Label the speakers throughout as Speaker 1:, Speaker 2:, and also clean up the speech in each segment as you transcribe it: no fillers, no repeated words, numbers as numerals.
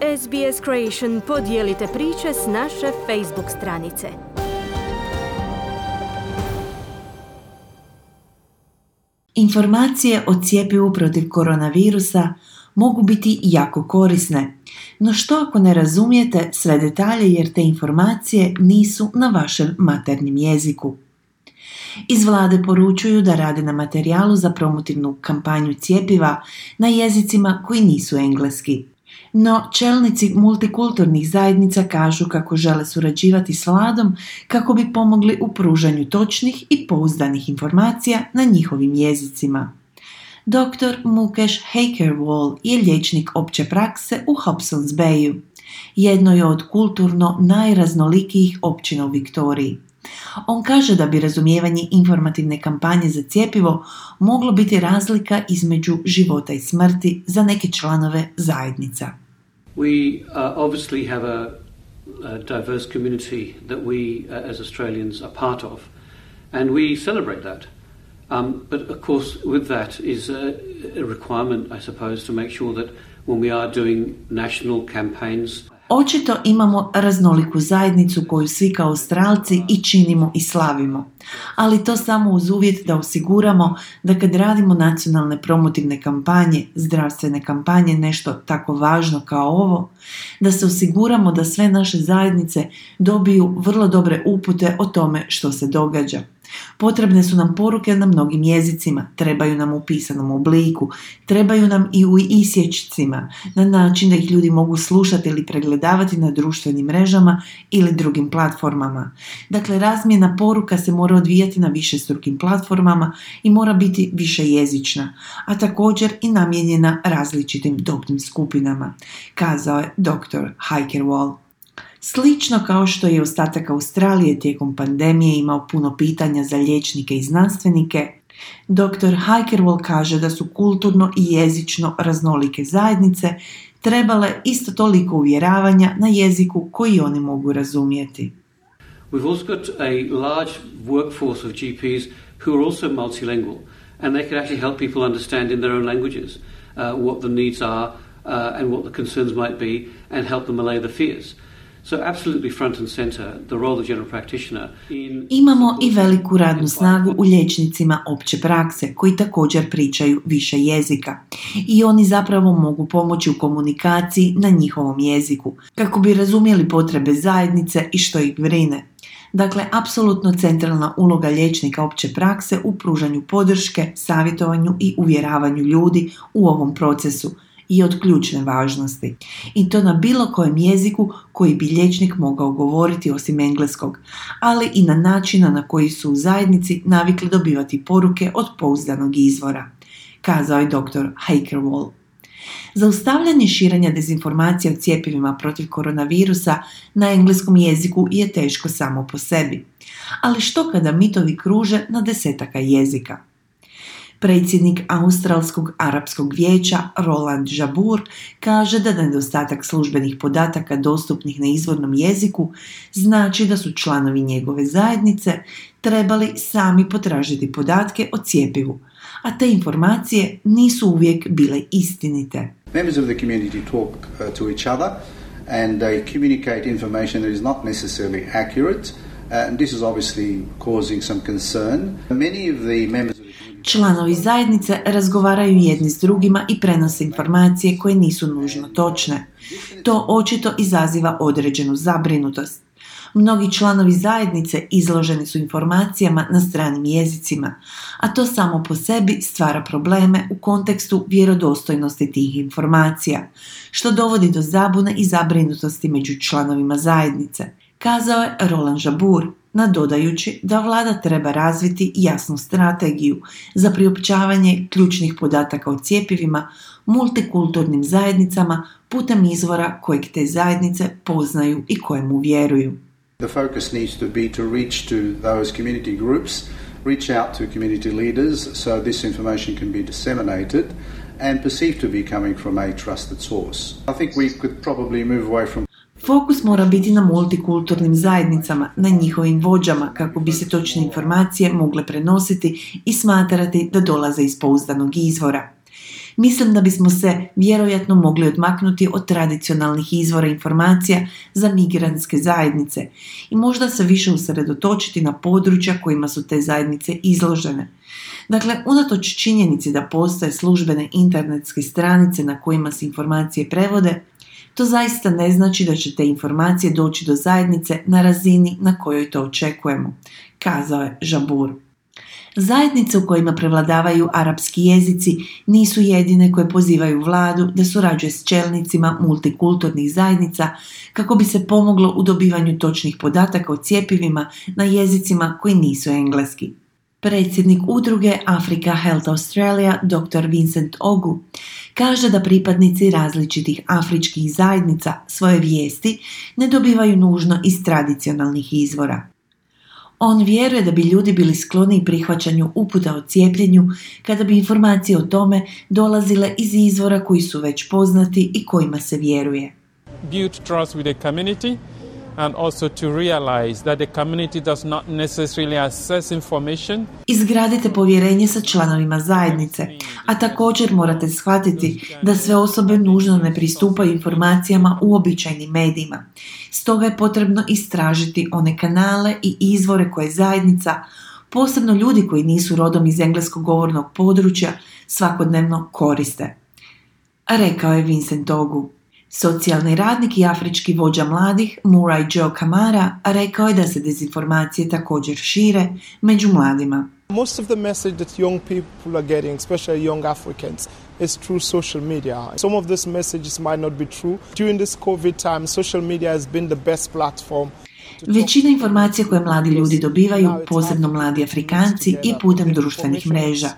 Speaker 1: SBS Creation podijelite priče s naše Facebook stranice.
Speaker 2: Informacije o cjepivu protiv koronavirusa mogu biti jako korisne, no što ako ne razumijete sve detalje jer te informacije nisu na vašem maternjem jeziku? Iz vlade poručuju da rade na materijalu za promotivnu kampanju cjepiva na jezicima koji nisu engleski. No, čelnici multikulturnih zajednica kažu kako žele surađivati s vladom kako bi pomogli u pružanju točnih i pouzdanih informacija na njihovim jezicima. Dr. Mukesh Haikerwal je liječnik opće prakse u Hobsons Bayu, jednoj od kulturno najraznolikijih općina u Viktoriji. On kaže da bi razumijevanje informativne kampanje za cjepivo moglo biti razlika između života i smrti za neke članove zajednica.
Speaker 3: We obviously have a diverse community that we as Australians are part of, and we celebrate that. But of course with that is a requirement, I suppose, to make sure that when we are doing national campaigns.
Speaker 2: Očito imamo raznoliku zajednicu koju svi kao Australci i činimo i slavimo, ali to samo uz uvjet da osiguramo da kad radimo nacionalne promotivne kampanje, zdravstvene kampanje, nešto tako važno kao ovo, da se osiguramo da sve naše zajednice dobiju vrlo dobre upute o tome što se događa. Potrebne su nam poruke na mnogim jezicima, trebaju nam u pisanom obliku, trebaju nam i u isječcima, na način da ih ljudi mogu slušati ili pregledavati na društvenim mrežama ili drugim platformama. Dakle, razmjena poruka se mora odvijati na višestrukim platformama i mora biti višejezična, a također i namijenjena različitim dobnim skupinama, kazao je dr. Haikerwal. Slično kao što je ostatak Australije tijekom pandemije imao puno pitanja za liječnike i znanstvenike, dr. Haikerwal kaže da su kulturno i jezično raznolike zajednice trebale isto toliko uvjeravanja na jeziku koji oni mogu razumjeti.
Speaker 3: We've also got a large workforce of GPs who are also multilingual, and they can actually help people understand in their own languages what the needs are and what the concerns might be, and help them allay the fears. So absolutely front and center, the role of the general practitioner
Speaker 2: Imamo i veliku radnu snagu u liječnicima opće prakse koji također pričaju više jezika i oni zapravo mogu pomoći u komunikaciji na njihovom jeziku kako bi razumjeli potrebe zajednice i što ih brine. Dakle, apsolutno centralna uloga liječnika opće prakse u pružanju podrške, savjetovanju i uvjeravanju ljudi u ovom procesu i od ključne važnosti. I to na bilo kojem jeziku koji bi liječnik mogao govoriti osim engleskog, ali i na načina na koji su u zajednici navikli dobivati poruke od pouzdanog izvora, kazao je dr. Haikerwal. Zaustavljanje širenja dezinformacija o cjepivima protiv koronavirusa na engleskom jeziku je teško samo po sebi. Ali što kada mitovi kruže na desetaka jezika? Predsjednik Australskog arapskog vijeća Roland Jabbour kaže da nedostatak službenih podataka dostupnih na izvornom jeziku znači da su članovi njegove zajednice trebali sami potražiti podatke o cjepivu, a te informacije nisu uvijek bile istinite.
Speaker 4: Members of the community talk to each other and they communicate information that is not necessarily accurate, and this is obviously causing some concern. Many of the members
Speaker 2: Članovi zajednice razgovaraju jedni s drugima i prenose informacije koje nisu nužno točne. To očito izaziva određenu zabrinutost. Mnogi članovi zajednice izloženi su informacijama na stranim jezicima, a to samo po sebi stvara probleme u kontekstu vjerodostojnosti tih informacija, što dovodi do zabune i zabrinutosti među članovima zajednice, kazao je Roland Jabbour, nadodajući da vlada treba razviti jasnu strategiju za priopćavanje ključnih podataka o cjepivima multikulturnim zajednicama putem izvora kojeg te zajednice poznaju i kojemu vjeruju.
Speaker 4: The focus needs to be to reach to those community groups, reach out to community leaders so this information can be disseminated and perceived to be coming from a trusted source. I think we could probably move away from
Speaker 2: Fokus mora biti na multikulturnim zajednicama, na njihovim vođama kako bi se točne informacije mogle prenositi i smatrati da dolaze iz pouzdanog izvora. Mislim da bismo se vjerojatno mogli odmaknuti od tradicionalnih izvora informacija za migrantske zajednice i možda se više usredotočiti na područja kojima su te zajednice izložene. Dakle, unatoč činjenici da postoje službene internetske stranice na kojima se informacije prevode, to zaista ne znači da će te informacije doći do zajednice na razini na kojoj to očekujemo, kazao je Jabbour. Zajednice u kojima prevladavaju arapski jezici nisu jedine koje pozivaju vladu da surađuje s čelnicima multikulturnih zajednica kako bi se pomoglo u dobivanju točnih podataka o cjepivima na jezicima koji nisu engleski. Predsjednik udruge Africa Health Australia, dr. Vincent Ogu, kaže da pripadnici različitih afričkih zajednica svoje vijesti ne dobivaju nužno iz tradicionalnih izvora. On vjeruje da bi ljudi bili skloni prihvaćanju uputa o cijepljenju kada bi informacije o tome dolazile iz izvora koji su već poznati i kojima se vjeruje.
Speaker 5: Build trust with the community and also to realize that the community does not necessarily access information.
Speaker 2: Izgradite povjerenje sa članovima zajednice, a također morate shvatiti da sve osobe nužno ne pristupaju informacijama u običajnim medijima. Stoga je potrebno istražiti one kanale i izvore koje zajednica, posebno ljudi koji nisu rodom iz engleskog govornog područja, svakodnevno koriste. Rekao je Vincent Ogu. Socijalni radnik i afrički vođa mladih Murray Joe Kamara rekao je da se dezinformacije također šire među mladima.
Speaker 6: Most of the message that young people are getting, especially young Africans, is through social media. Some of these messages might not be true. During this COVID time, social media has been the best platform.
Speaker 2: Većina informacija koje mladi ljudi dobivaju, posebno mladi Afrikanci, i putem društvenih mreža.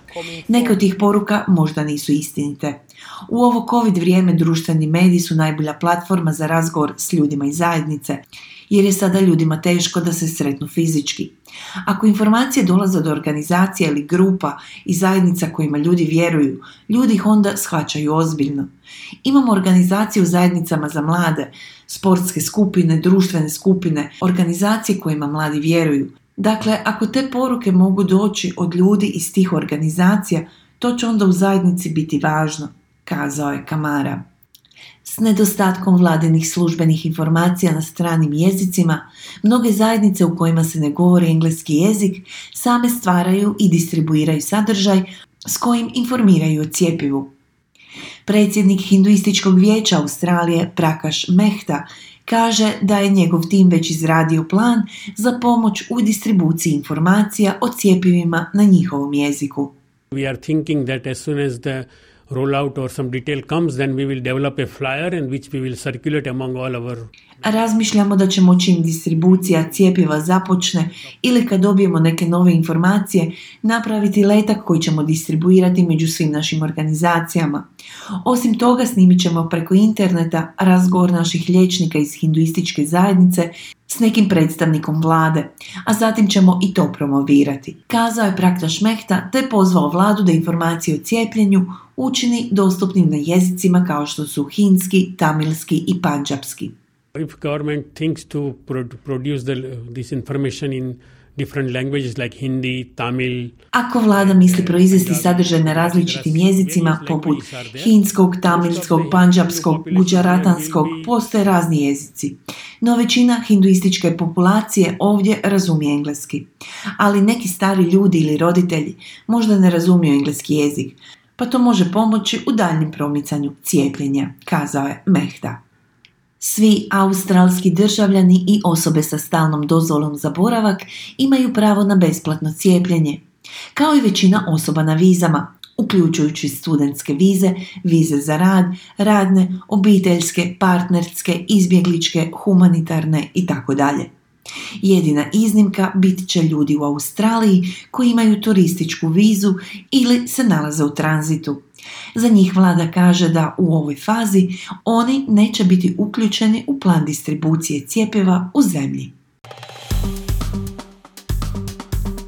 Speaker 2: Neke od tih poruka možda nisu istinite. U ovo COVID vrijeme društveni mediji su najbolja platforma za razgovor s ljudima iz zajednice, jer je sada ljudima teško da se sretnu fizički. Ako informacije dolaze od organizacija ili grupa i zajednica kojima ljudi vjeruju, ljudi ih onda shvaćaju ozbiljno. Imamo organizacije u zajednicama za mlade, sportske skupine, društvene skupine, organizacije kojima mladi vjeruju. Dakle, ako te poruke mogu doći od ljudi iz tih organizacija, to će onda u zajednici biti važno, kazao je Kamara. S nedostatkom vladinih službenih informacija na stranim jezicima, mnoge zajednice u kojima se ne govori engleski jezik same stvaraju i distribuiraju sadržaj s kojim informiraju o cjepivu. Predsjednik Hinduističkog vijeća Australije Prakash Mehta kaže da je njegov tim već izradio plan za pomoć u distribuciji informacija o cjepivima na njihovom jeziku.
Speaker 7: We are thinking that as soon as the rollout or some detail comes, then we will develop a flyer in which we will circulate among all our...
Speaker 2: Razmišljamo da ćemo čim distribucija cjepiva započne ili kad dobijemo neke nove informacije, napraviti letak koji ćemo distribuirati među svim našim organizacijama. Osim toga, snimit ćemo preko interneta razgovor naših liječnika iz hinduističke zajednice s nekim predstavnikom vlade, a zatim ćemo i to promovirati. Kazao je Prakash Mehta te pozvao vladu da informacije o cijepljenju učini dostupnim na jezicima kao što su hindski, tamilski i pandžapski.
Speaker 7: If government thinks to produce this information in different languages like Hindi, Tamil...
Speaker 2: Ako vlada misli proizvesti sadržaj na različitim jezicima poput hindskog, tamilskog, pandžapskog, guđaratanskog, postoje razni jezici. No većina hinduističke populacije ovdje razumije engleski. Ali neki stari ljudi ili roditelji možda ne razumiju engleski jezik, pa to može pomoći u daljnjem promicanju cijepljenja, kazao je Mehta. Svi australski državljani i osobe sa stalnom dozvolom za boravak imaju pravo na besplatno cijepljenje, kao i većina osoba na vizama, uključujući studentske vize, vize za rad, radne, obiteljske, partnerske, izbjegličke, humanitarne itd. Jedina iznimka bit će ljudi u Australiji koji imaju turističku vizu ili se nalaze u tranzitu. Za njih vlada kaže da u ovoj fazi oni neće biti uključeni u plan distribucije cjepiva u zemlji.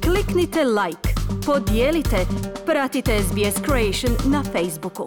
Speaker 1: Kliknite like, podijelite, pratite SBS Creation na Facebooku.